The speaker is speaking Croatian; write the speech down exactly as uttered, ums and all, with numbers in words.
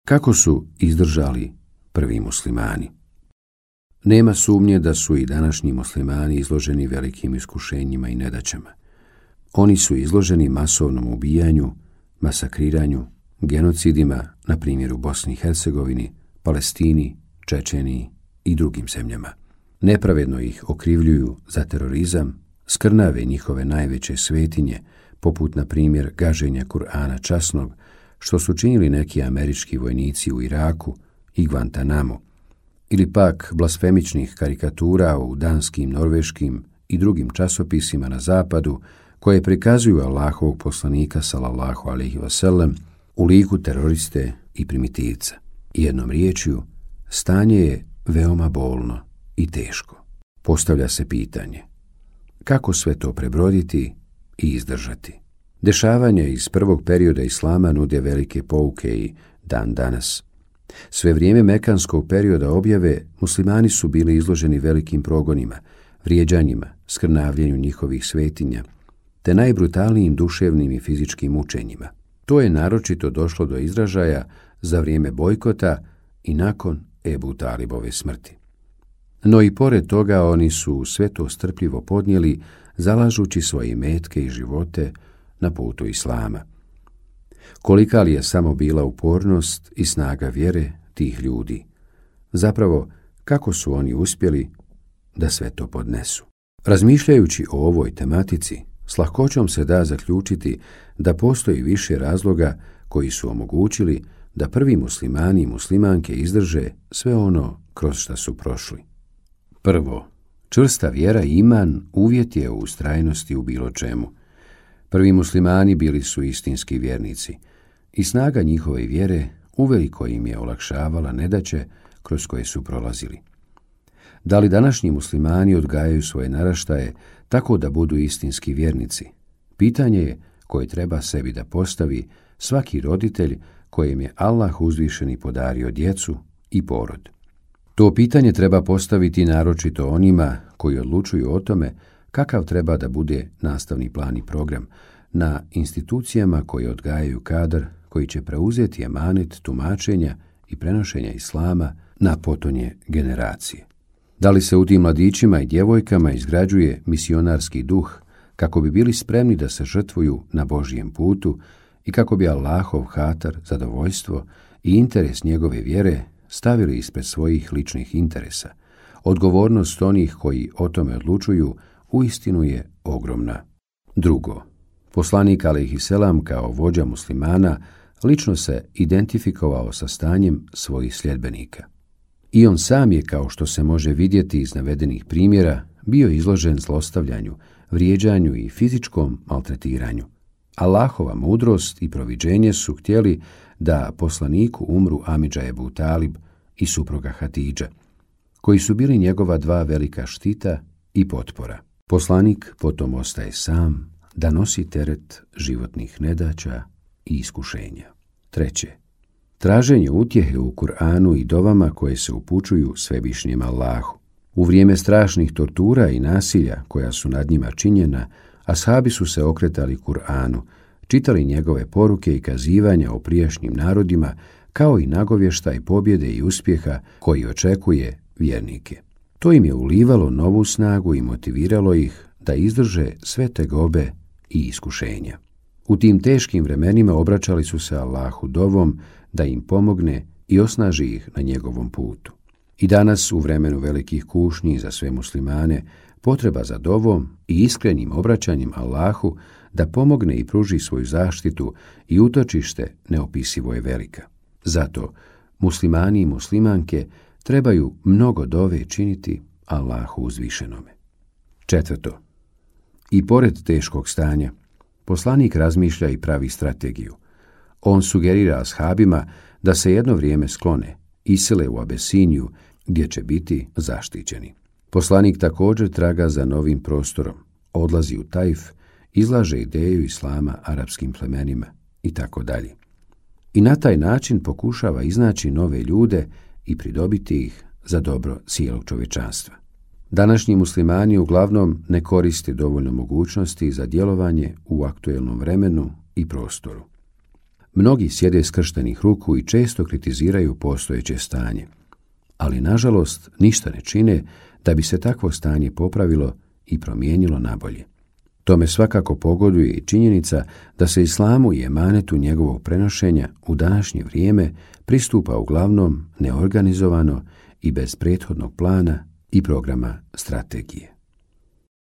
Kako su izdržali prvi muslimani? Nema sumnje da su i današnji muslimani izloženi velikim iskušenjima i nedaćama. Oni su izloženi masovnom ubijanju, masakriranju, genocidima, na primjer u Bosni i Hercegovini, Palestini, Čečeniji i drugim zemljama. Nepravedno ih okrivljuju za terorizam, skrnave njihove najveće svetinje, poput na primjer gaženja Kur'ana časnog, što su činili neki američki vojnici u Iraku i Guantanamu, ili pak blasfemičnih karikatura u danskim, norveškim i drugim časopisima na zapadu, koje prikazuju Allahovog poslanika sallallahu alejhi ve sellem u liku teroriste i primitivca. Jednom riječju, stanje je veoma bolno i teško. Postavlja se pitanje, kako sve to prebroditi i izdržati? Dešavanja iz prvog perioda islama nude velike pouke i dan danas. Sve vrijeme mekanskog perioda objave muslimani su bili izloženi velikim progonima, vrijeđanjima, skrnavljenju njihovih svetinja, te najbrutalnijim duševnim i fizičkim mučenjima. To je naročito došlo do izražaja za vrijeme bojkota i nakon Ebu Talibove smrti. No i pored toga oni su sve to strpljivo podnijeli, zalažući svoje imetke i živote na putu islama. Kolika li je samo bila upornost i snaga vjere tih ljudi? Zapravo, kako su oni uspjeli da sve to podnesu? Razmišljajući o ovoj tematici, s lahkoćom se da zaključiti da postoji više razloga koji su omogućili da prvi muslimani i muslimanke izdrže sve ono kroz što su prošli. Prvo, čvrsta vjera i iman uvjet je u ustrajnosti u bilo čemu. Prvi muslimani bili su istinski vjernici i snaga njihove vjere uveliko im je olakšavala nedaće kroz koje su prolazili. Da li današnji muslimani odgajaju svoje naraštaje tako da budu istinski vjernici? Pitanje je koje treba sebi da postavi svaki roditelj kojem je Allah uzvišeni podario djecu i porod. To pitanje treba postaviti naročito onima koji odlučuju o tome kakav treba da bude nastavni plan i program na institucijama koje odgajaju kadar koji će preuzeti emanet tumačenja i prenošenja islama na potonje generacije. Da li se u tim mladićima i djevojkama izgrađuje misionarski duh kako bi bili spremni da se žrtvuju na Božjem putu i kako bi Allahov hatar, zadovoljstvo i interes njegove vjere stavili ispred svojih ličnih interesa? Odgovornost onih koji o tome odlučuju uistinu je ogromna. Drugo, poslanik alejhiselam kao vođa muslimana lično se identifikovao sa stanjem svojih sljedbenika. I on sam je, kao što se može vidjeti iz navedenih primjera, bio izložen zlostavljanju, vrijeđanju i fizičkom maltretiranju. Allahova mudrost i proviđenje su htjeli da poslaniku umru Amidža Ebu Talib i supruga Hatidža, koji su bili njegova dva velika štita i potpora. Poslanik potom ostaje sam da nosi teret životnih nedaća i iskušenja. Treće, traženje utjehe u Kur'anu i dovama koje se upućuju svevišnjem Allahu. U vrijeme strašnih tortura i nasilja koja su nad njima činjena, ashabi su se okretali Kur'anu, čitali njegove poruke i kazivanja o prijašnjim narodima, kao i nagovještaj pobjede i uspjeha koji očekuje vjernike. To im je ulivalo novu snagu i motiviralo ih da izdrže sve tegobe i iskušenja. U tim teškim vremenima obraćali su se Allahu dovom da im pomogne i osnaži ih na njegovom putu. I danas, u vremenu velikih kušnji za sve muslimane, potreba za dovom i iskrenim obraćanjem Allahu da pomogne i pruži svoju zaštitu i utočište neopisivo je velika. Zato muslimani i muslimanke trebaju mnogo dove činiti Allahu uzvišenome. Četvrto, i pored teškog stanja, poslanik razmišlja i pravi strategiju. On sugerira ashabima da se jedno vrijeme sklone, isele u Abesiniju, gdje će biti zaštićeni. Poslanik također traga za novim prostorom, odlazi u Tajf, izlaže ideju islama arapskim plemenima i tako dalje. I na taj način pokušava iznaći nove ljude i pridobiti ih za dobro cijelog čovječanstva. Današnji muslimani uglavnom ne koriste dovoljno mogućnosti za djelovanje u aktuelnom vremenu i prostoru. Mnogi sjede skrštenih ruku i često kritiziraju postojeće stanje, ali nažalost ništa ne čine da bi se takvo stanje popravilo i promijenilo nabolje. Tome svakako pogoduje i činjenica da se islamu i emanetu njegovog prenošenja u današnje vrijeme pristupa uglavnom neorganizovano i bez prethodnog plana i programa strategije.